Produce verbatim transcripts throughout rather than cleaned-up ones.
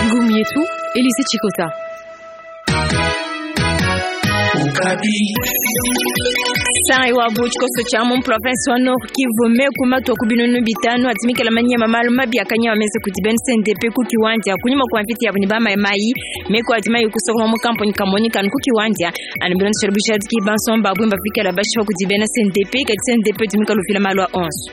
Ngumu yetu Elise Chikota. Sai wa buchikoso cha mu province wa Nord Kivu meku matwa ku binunu bitano atimikala manyama malu mabi akanya wameze kuti ben C N D P ku kiwanja kunyuma kwa mviti ya ba mai mai meku atimai kusokoma mu kampuni kamoni kan ku kiwanja anibiron sherbisha ki banson babu mbafikala bashifa kuti ben C N D P ka C N D P timikalo fila malu onze.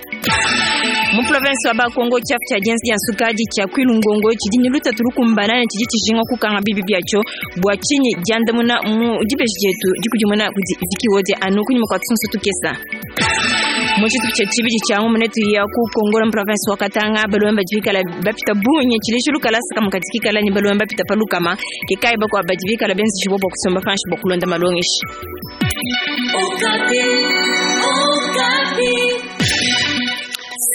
Mu province wa Bakongo chafu cha jensi ya sukaji cha kwilungongo chidini luta turukumbana na chiji chishinga kukanga bibi byacho bwa chinyi jandamuna mu jibeshi jetu jikujumuna kuti vikiwoje anu kunyuma kwa tsunsu tukesa. Mochitu cha chibiji cha ngumu netu ya ku Kongo mu province wa Katanga balwemba jikala bapita bunye chilishulu kalasa kama katika kala ni balwemba pita palukama kikai bakwa bajibika la benzi shibobo kusomba fanshi bokulonda malongishi. Okapi, Okapi.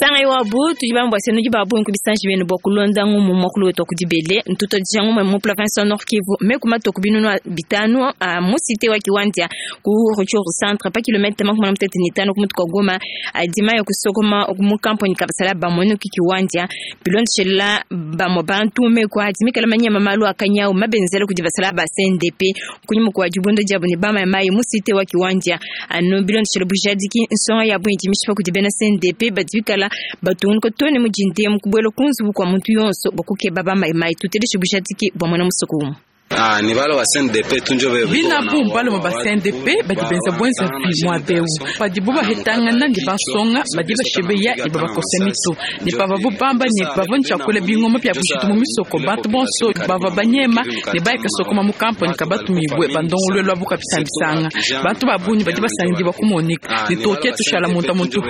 Sanga iwabu tujibambwa senu jibabu nkubisanji benu bokulonda ngumu mokulu wetu kudibele ntuto jangu mu province wa Nord Kivu mekuma tokubinu bitano a musite wa kiwanja ku Rutshuru centre pa kilomètre makumi matatu na tano kumutu kwa Goma adima yo kusokoma mu kampuni kabasala bamono kikiwanja bilonshela bamo bantu mekwa adimikala manyama malu akanyao mabenzela kudibasala ba C N D P kunyuma kwa jubundo jabo ni bama mai musite wa kiwanja anu bilonshela bujadiki nsonga ya bwinji mishipa kudibena C N D P badikala batun ko tone mujinde mukubwelo kunzu kwa muntu yonso bokuke baba mai mai tuteleshe bujadiki bwa mwana musukumu. Ah, ni balo wa C N D P tunjo be bina bumba lo ba C N D P badi benza bwenza vi mwa beu badi buba hetanga nandi basonga badi bashebeya ni baba kosemito ni baba bubamba ni baba nchakule bingoma pya bushitu mu misoko bantu bonso baba banyema ni baika soko mu kampo ni kabatu mibwe bandongolwe lwa buka bisambisanga bantu babunyi badi basangi bakumonika ni toke tushala muntu muntu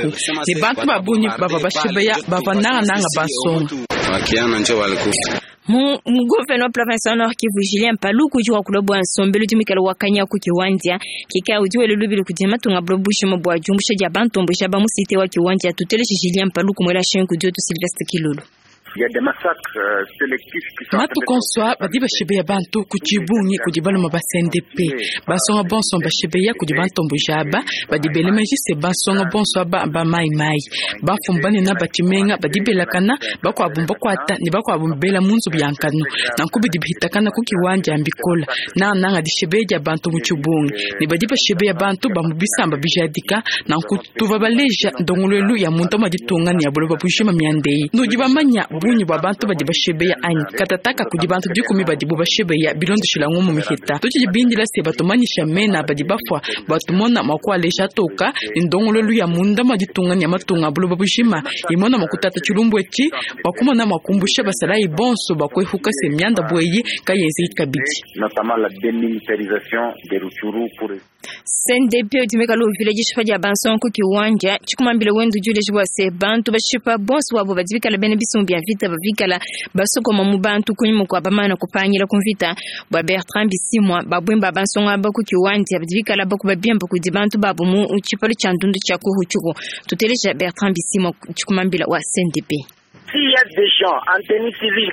ni bantu babunyi baba bashebeya baba nanga nanga basonga wakiana njo balikufa. Mu gouverneur province wa Nord Kivu Julien Paluku jua kulobwa nsombelu jumikala wakanya ku kiwanja kika ujiwe lubili kujema tunga blobushi mabwa jumbusha ja bantombo ja bamusite wa kiwanja tuteleshi Julien Paluku mwela shenku joto Sylvestre Kilolo. Matu konswa badi bashebeya bantu kuchibungi kudi baloma ba C N D P basonga bonso bashebeya kudi bantombo jaba badi belemeji se basonga bonso aba ba mai mai bafumba ne na batimenga badi belakana bakwabumba kwata ne bakwabumbela munzu byankano nankubi dibihitakana ku kiwanja mbikola na nanga dishebeya bantu muchibungi ne badi bashebeya bantu bamubisamba bijadika nankutuva baleja ndongolwelu ya muntu maditunga ne ya buloba bushima myandei nudi bamanya bunyi bwa bantu badi bashebeya anyi katataka kudi bantu dikumi badi bo bashebeya bilondoshila ngumu mihita tuchijibindila se batumanyisha mena badi bafwa batumona makwalesha toka ndongololu ya munda maditunga nya matunga buloba bushima imona makutata chilumbu eci bakumona makumbusha basalayi bonso bakwehuka se myanda bweyi kayezi kabidi. Notamment la démilitarisation des Rutshuru pour C N D P utumika lo village shifa ja banson ku kiwanja chikumambile wendu jule jwa se bantu bashipa bonso wabo badibikala bene bisumbi ya vita bavikala basokoma mu bantu kunyuma kwa bamana kupanyira kumvita bwa Bertrand Bisimwa babwemba banson aba ku kiwanja badibikala bakuba byemba ku dibantu babo mu chipalo cha ndundu cha kuhuchuko tutelesha Bertrand Bisimwa chikumambila wa C N D P.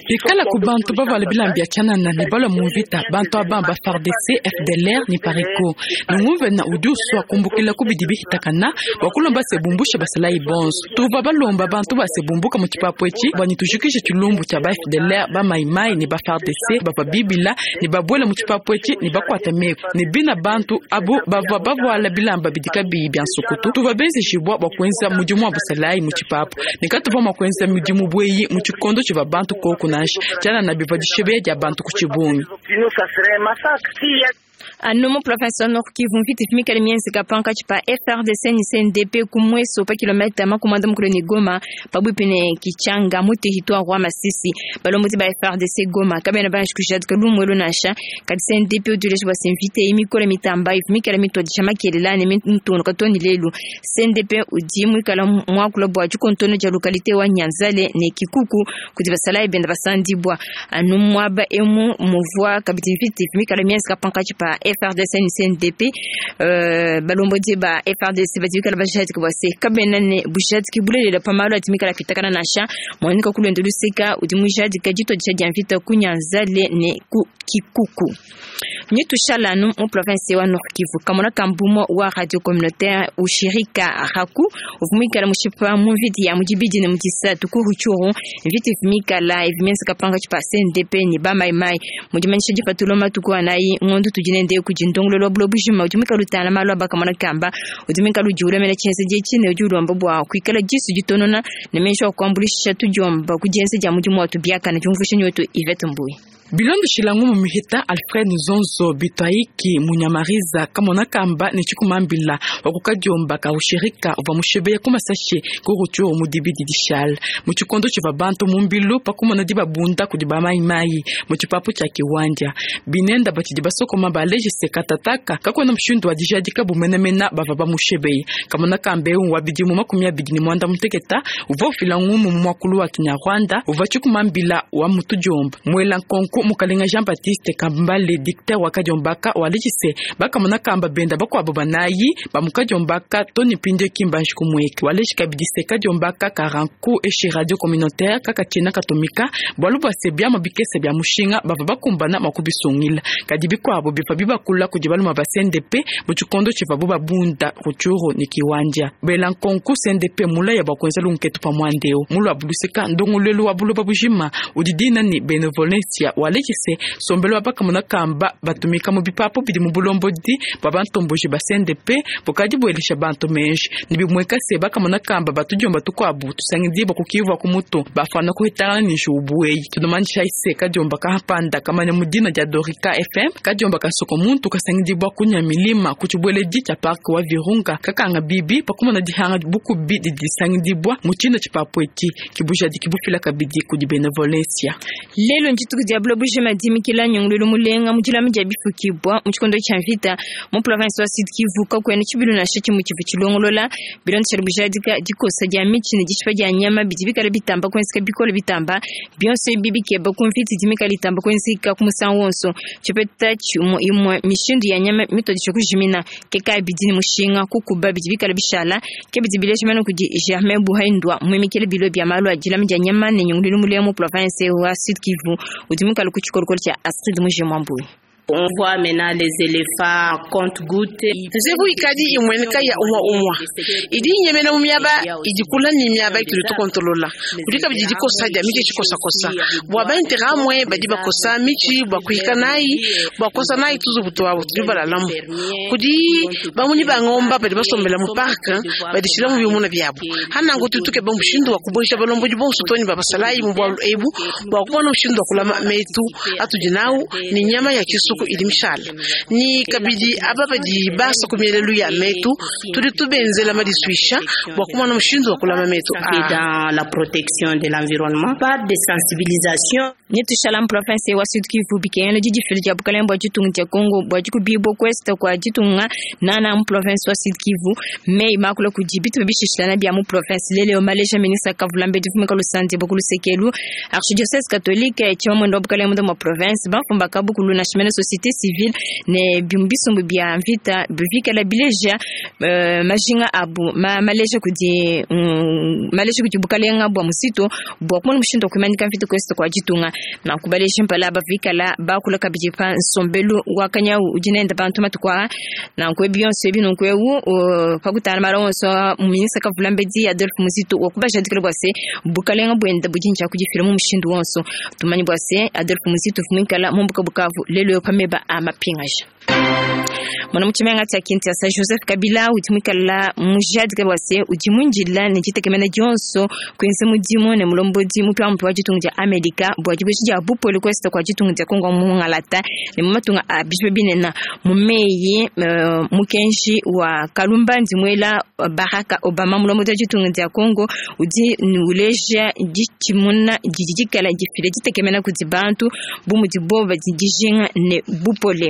Bikala ku bantu bavala bilambya chanana ne balwa mu mvita bantu abamba F A R D C F D L R ni Pareko nungumve na udi uswa kumbukila ku bidi bihitakana bakulomba se bumbusha basalayi bonso tuva balomba bantu base bumbuka mu chipapu eci bwani tujikishe chilumbu cha ba F D L R ba maimai ni ba F A R D C bava bibila ni babwela mu chipapu eci ni bakwata meko ni bina bantu abo bava bavuala bilamba bidika biyi bya nsukutu tuva benzeshibwa bwakwenza mudimu wa basalayi mu chipapu nikatuva mwakwenza mudimu bweyi mu chikondo chiva bantu koku nashi chana na biva dishebeya dia bantu ku chibungi. Anomo province Nord Kivu mviti fimikala mienzi kapanka chipa F R D C ni C N D P kumweso pa kilomita makumanda mukule ni Goma pabwipi ne Kichanga mu territoire wa Masisi balombozi ba F R D C Goma kabena bana shikushadika lumwelo nasha kati C N D P uduleshi bwa semvite imikole mitamba ifimikala mitwadisha makelela ne mintono katoni lelu C N D P udi mwikala mwakula bwa chikontono ja localité wa Nyanzale ne Kikuku kuti basala ibenda basandibwa anu mwaba emu muvwa kabiti mviti fimikala mienzi kapanka chipa pa F R D C ne C N D P. Uh, balombodi ba F R D C badi bikala bajadika bua se kabena ne bujadiki bulelela pa malu adi mikala apitakana nansha mwanika kulwendo luseka udi mujadika dituadija dia mvita ku Nyanzale ne ku Kikuku. Ni tushalanu mu province wa Nord Kivu kamona kambumo wa radio communautaire ushirika raku uvumikala mushipa mu mviti ya mujibidi ne mujisatu ku Rutshuru mviti vumikala evimensa kapanga chipa C N D P ni ba mai mai mujimanyisha dipatulo matuku anayi ngondo tujinende kujindongolo lwa bulo bujima ujumikala utana malwa bakamona kamba ujumikala ujula mena chense jechine ujulomba bwa kuikala jisu jitonona ne mesho kwambulisha tujomba kujense ja mujimu watu biaka na jumvusha nyoto Yvette Mbui. Bilondo shilangu mu mihita Alfred Nzonzo bitwaiki munyamariza kamona kamba ne chikumambila wakukadiomba ka ushirika uva mushebeya kumasashe ku Rutshuru mu dibidi dishal mu chikondo chiva bantu mu mbilu pakumona dibabunda kudi ba mai mai mu chipapu cha kiwanja binenda batidi basokoma balejise katataka kakona mushindu wa dijadika bumenemena bava ba mushebeya kamona kambe wa bidimu makumi abidi ni mwanda muteketa uva ufilangu mu mwakulu wa Kinyarwanda uva chikumambila wa mutujomba mwela nkonko mukalenga Jean Baptiste Kambale dictateur wa Kadiombaka walejise bakamona kamba benda bakwabo banayi bamukadiombaka toni pinde kimbanji kumweke walejika bidise Kadiombaka karanku eshe radio communautaire kaka chena katomika bwalu bwa sebia mabikese bya mushinga bava bakumbana makubisungila kadi bikwabo bifa bibakula kudi baluma ba C N D P mu chikondo chiva bo babunda Rutshuru ni kiwanja bela nkonku C N D P mula ya bakwenza lunketu pa mwandeo mulu abuluseka ndongolelo wa buloba bujima udidina ni benevolencia walejise sombelo abakamona kamba batumika mu bipapo bidi mu bulombodi bwa bantomboji ba C N D P bukadi bwelisha bantu menji nibimweka se bakamona kamba batujomba tukwabu tusangidi bakukivwa ku mutu bafana kuhitana ni jubueyi tunomanisha ise kadiomba kahapanda kamanya mudina dia Dorika F M kadiomba kasoko muntu kasangidi bwa kunya milima kuchibweledi cha park wa Virunga kakanga bibi pakumona dihanga bukubi didisangidi bwa muchina chipapo eti kibuja dikibufila kabidi kudi benevolencia lelo njituku diablo bujima dimikila nyongululu mulenga mujila mija bifukibwa mu chikondo cha mvita mu province wa Sud Kivu kakwene chibilu na shichi mu chivu chilongolola bilondo cha bujadika dikosa dia michi ne dishipa dia nyama bidibikala bitamba kwensika bikolo bitamba bionse bibikeba kumviti dimikala itamba kwensika kumusango wonso chipeta chiumo imwe mishindu ya nyama mitodisho kujimina keka bidini mushinga kukuba bidibikala bishala ke bidibile shimano kudi Germain Buhaindwa mwimikele bilo bya malu ajila mija nyama ne nyongululu mulenga mu province wa Sud Kivu udimikala kuchikorokoro cha Astrid Mujimwambui. On voit maintenant les éléphants compte-gouttes. Nzevu ikadi imweneka ya umwa umwa. Idi nyemena mu myaba idikula ni myaba ituli tukontolola. Kulika bijidi kosa dia michi chikosa kosa. Bwa ba interamwe badi bakosa michi bwa kuhika nayi bwa kosa nayi tuzu butwa butuli balalamu. Kudi bamunyi bangomba badi basombela mu park badi shila mu bimuna byabo. Hana ngo tutuke ba mushindu wa kuboisha balombo jibonso toni babasalayi mu bwa ebu bwa kubona mushindu wa kulama metu atujinau ni nyama ya kisu ilimshala ni kabidi aba badi basa kumyelelu ya metu tuli tubenzela madiswisha bwa kumana mushindu wa kulama metu dans la protection de l'environnement par des sensibilisations nitushala province wa Sud Kivu bikengele jijifili ja bukalembo jitunga ja Congo bwa jikubibo kwesta kwa jitunga nana mu province wa Sud Kivu mei makula kujibitu bishishilana bya mu province lele o Malaysia ministre Kavulambe difumika lusante bokulusekelu archidiocèse catholique chimamwendo bukalembo mu province bafumba kabukulu na shimene société civile ne bimbisumbu bya mvita bivikala bileja uh, majinga abu ma, maleja kudi um, maleja kudi bukalenga bwa musito bwa kumona mushindo kumanika mvita kwesta kwa jitunga na kubaleja mpala bavikala bakula kabiji pa nsombelu wakanya ujinenda bantu matukwa na nkwe Beyonce bino nkwe u pakutana maronso ministre Kavulambedi Adolphe Muzito wakubaja dikala bwase bukalenga bwenda bujinja kujifira mu mushindo wonso tumanyi bwase Adolphe Muzito fumikala mumbuka bukavu lelo pameba amapingaja mwana muchimenga cha Kinshasa Joseph Kabila utimikala mujadika bwase ujimunjila ne chitekemena Johnson kwense mudimu ne mulombodi mupya mpya wa chitungu cha Amerika bwa chibuchi cha bupoli kwesta kwa chitungu cha Kongo mungalata ne mumatunga a bijwe binena mumeyi uh, mukenshi wa Kalumba ndimwela Barack Obama mulombodi wa chitungu cha Kongo udi nuleja jichimuna jijikala jifile chitekemena kuti bantu bumudibo badijinga ne bupole.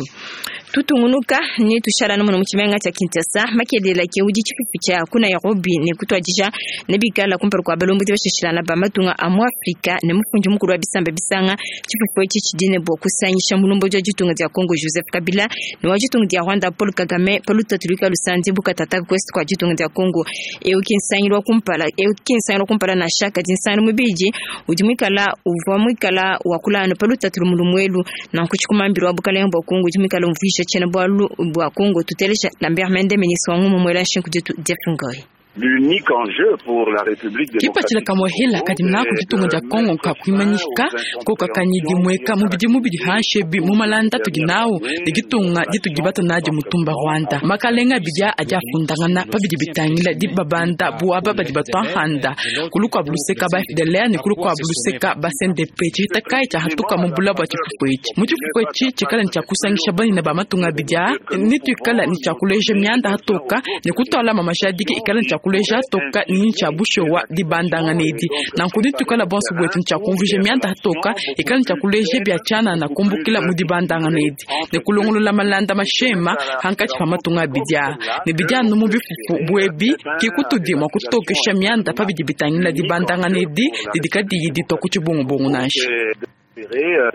Tutungunuka ne tushala muno mu tshimenga tshia Kinshasa makelela ke udi tshifufu tshia ku Nairobi ne kutuadija ne bikala kumpala kua balombodi bashishilana ba matunga a mu Afrika ne mufundi mukulu wa bisamba bisanga. Tshifufu etshi tshidi ne bua kusangisha mulombodi wa ditunga dia Congo Joseph Kabila ne wa ditunga dia Rwanda Paul Kagame pa lutatu luikala lusandi bukatata kwest kwa ditunga dia Congo. Eu ki nsangilu wa kumpala eu ki nsangilu wa kumpala na shaka di nsangilu mubidi udi muikala uvua muikala wa kulana pa lutatu lumulumuelu na nkutshikumambilo wa bukalenga bua Congo udi muikala umvuisha tshiena bualu bua Congo. Tutelesha Lambert Mende ministre wa ngumu mwela nshinku ditu Jeff Ngoi. L'unique enjeu pour la République Kipatshila démocratique kamwehela kadi mnaku ditunga dia Congo nkakuimanyika kokakanyidi mweka mubidi mubidi hanshebi mu malanda tudi nawu ne ditunga ditudi batanaadi mutumba Rwanda makalenga abidi adi afundangana pabidi bitangila dibabanda buaba badi batwahanda kulu kua buluseka ba F D L R ne kulu kua buluseka ba C N D P tshihita kai tshia hatuka mu bula bua tshifufu etshi mu tshifufu etshi tshikala ne tshia kusangisha banene ba matunga abidi aa ne tuikala ne tshia kuleja mianda hatoka ne kutuala mamashadiki ikala ne tshia kuleja toka ni tshia bushowa dibandanga nedi nanku ditukala bonso bwetu ntshia kumvuija mianda toka ikala ntshia kuleja bia tshiana na kumbukila mu dibandanga nedi ne kulongolola malanda mashema hankatshi pa matunga abidi aa ne bidi anu mu bifufu bwebi ke kutudi mua kutokesha mianda pabidi bitangila dibandanga nedi didi kadiyi ditua ku tshibungubungu nansha.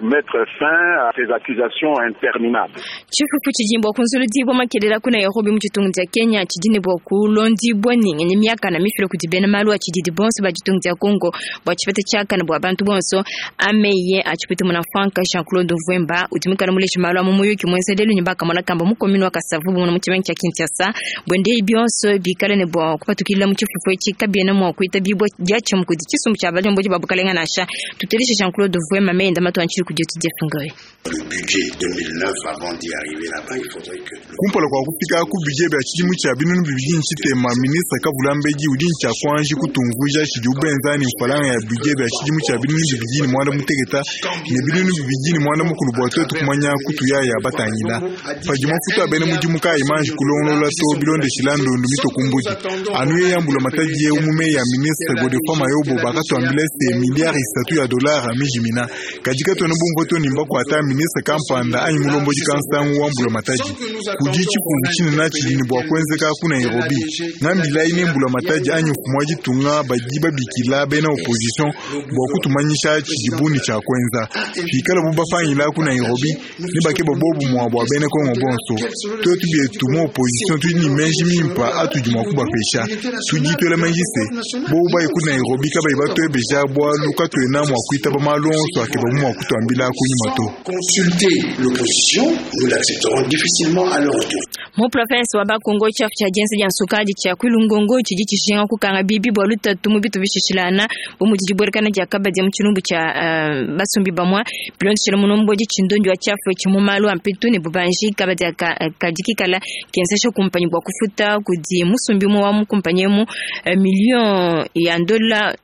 Mettre fin à ces accusations interminables. Tshifufu tshidimba kunzuludibwa makelela ku Nairobi mu tshitungu tshia Kenya tshidine bua kulondibwa ninga myaka na mifilo kudi bena malu a tshididi bonso ba tshitungu tshia Congo bua tshipeta tshiakana bua bantu bonso ameye atshipete muna Frank Jean-Claude Mvwemba udi muikala mulesha malu a mu muyuki muenza lelu ne bakamona kamba mu commune wa Kasavubu mu tshimenga tshia Kinshasa bwende bionso bikale ne bua kupatukila mu tshifufu etshi kabiena mua kuitabibwa diatshia kudi tshisumbu tshia balombodi ba bukalenga nansha. Tuteleshe Jean-Claude Mvwemba meyenda matu anchiri kudi Jeff Ngoi. Le budget deux mille neuf, avant d'y arriver là-bas, il faudrait que... Kumpala kwa kufika ku budget bya tshidimu tshia binunu bibidi ntshitema ministre Kavulambedi udi ntshia kuanji kutumvuija tshidi ubenzani mfalanga ya budget bya tshidimu tshia binunu bibidi ne mwanda muteketa ne binunu bibidi ne mwanda mukulu bua tuetu kumanya kutuyaya batangila padi mafuta abene mudimu kayi manji kulongolola to bilondeshila ndondu mitokumbudi anu ye yambula matadi ye umume ya ministre Godefroid Mayobo bakatuambila se milliard isatu ya dollars mijimina kadi katona bumvo to nimba kwata ministre kampanda anyi mulomboji kansangu wambula matadi kudi tshifungu tshinene tshidi ne bua kuenzeka ku Nairobi ngambila ine mbula matadi anyi mfumu wa ditunga badi babikila bena opposition bua kutumanyisha tshidibu ne tshia kuenza pikala bu bafangila ku Nairobi ne bakeba bobu mua bua bena Kongo bonso tuetu bietu mu opposition tudi ne menji mimpa atudi mua kubapesha tudi tuela menji se bobu bayi ku Nairobi kabayi batuebeja bualu katuena mua kuitaba malu onso akeba mu mua kutuambila kunyuma to. Consulter l'opposition, nous l'accepterons difficilement à leur retour. Mu province wa Bakongo tshiafu tshia dienza dia nsukadi tshia Kwilungongo tshidi tshishinga kukanga bibi bua lutatu mu bitu bishishilana bu mudi dibuelekana dia kabadi mu tshilumbu tshia uh, basumbi bamwa bilondeshela mulombodi tshindondi wa tshiafu etshi mu malu a mpetu ne bubanji kabadi kadi kikala kenzesha kumpanyi bua kufuta kudi musumbi umue wa mu kumpanyi emu uh, million ya ndola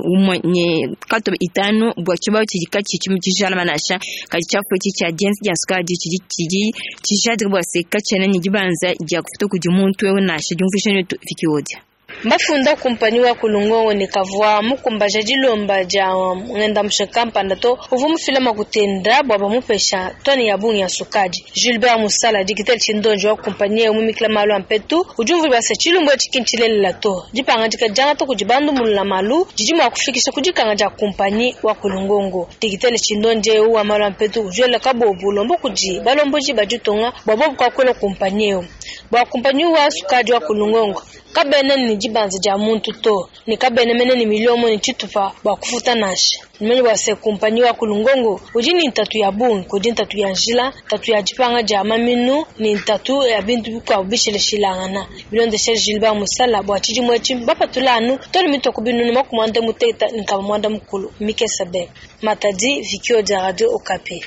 umwe ne kato itano bua tshibawu tshidi katshi tshijala manasha kadi tshiafu etshi tshia dienza dia nsukadi tshidi tshidi tshijadika bua se katshiena ne dibanza dia kufuta kudi muntu eu nasha diumvuisha netu Viki Odia. Mbafunda kumpanyi wa Kulungongo ne kavua mukumbaja dilomba dia ngenda mshakampanda to uvu mufila makutenda bua bamupesha toni ya bungi ya sukadi. Gilbert Musala digital chindonjo wa kumpanyi ya mumikila malu ampetu ujumvu basa chilumbu chikinchilelela to dipanga dikajanga to kujibandu mulula malu jiji mwa kufikisha kujikanga ja kumpanyi wa Kulungongo. Digital chindonje wa malu ampetu ujwela kabobu lombo kuji balomboji bajutonga bwa bobu kwa kwela kumpanyi yo bwa kumpanyi wa sukadi wa Kulungongo kabene ni dibanza dia muntu to ni kabene mene ni miliomo ni tshitupa bua kufuta nansha nimenye bua se kumpanyi wa Kulungongo udi ni ntatu ya bungi kudi ntatu ya njila ntatu ya dipanga dia maminu ni ntatu ya bintu bikuabu bishileshilangana bilondeshe Gilbert Musala bua tshidimu etshi bapatula toli mitoko binunu makumi anda muteta ni nkama mwanda mukulu Mikesabe Matadi Vikio dia Radio Okapi.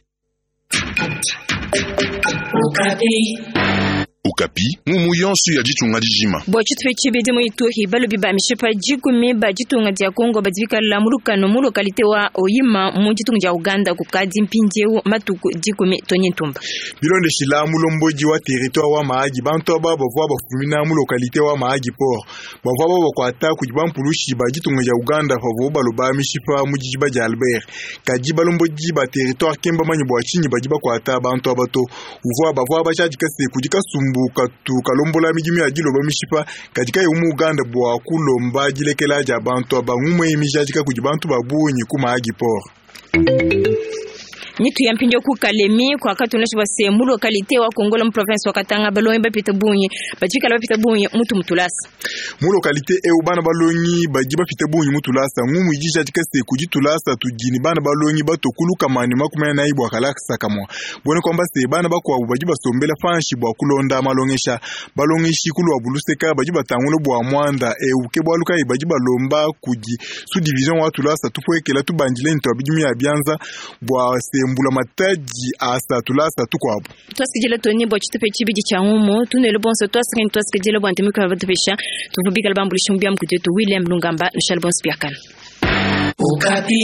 Okapi. Okapi, ngumu yonso ya ditunga dijima. Bua tshitupa tshibidi mu Ituri balobi ba mishipa dikumi ba ditunga dia Kongo badi bikala mu lukanu mu localité wa Oyima mu ditunga dia Uganda kukadi mpindieu matuku dikumi Tony Ntumba. Bilondeshila mulomboji wa territoire wa Mahagi bantu aba bavua bafumina mu localité wa Mahagi Port bavua babakuata kudi bampulushi ba ditunga dia Uganda pavua baloba mishipa mu dijiba dia Albert. Kadi balomboji ba territoire kemba manyi bua tshinyi badi bakuata bantu aba to uvua bavua bashadika se kudi kasumbu katu kalombola midimu ya diloba mishipa kadi kayi mu Uganda bua kulomba dilekela dia bantu aba ngumwe mijadika kudi bantu ba bungi ku Mahagi Port. Mitu ya mpindio ku Kalemi kwa katunesha base mu localité wa Kongola mu province wa Katanga balongi bapita bungi bajikala bapita bungi mutu mutulasa mu localité eu bana balongi badi bapita bungi mutulasa ngumu ijija dikase kudi tulasa tudini bana balongi batokuluka mani makumi anayi bua kalakisa kamwa bone kwamba se bana bakuabu badi basombela panshi bua kulonda malongesha balongeshi kulwa buluseka badi batangula bua mwanda eu ke bwalu kayi badi balomba kudi sous division wa tulasa tupwekela tubandile nto bidimu ya bianza bua se mbula mataji asa tulasa tukwabo twasikijela toni bua tshitupa tshibidi tshia ngumu tunele bonso twasikeni twasikijela bua ntemika batupesha tuvubikala bambulisha mubia mkutetu William Lungamba nushal bonso biakana. Okapi.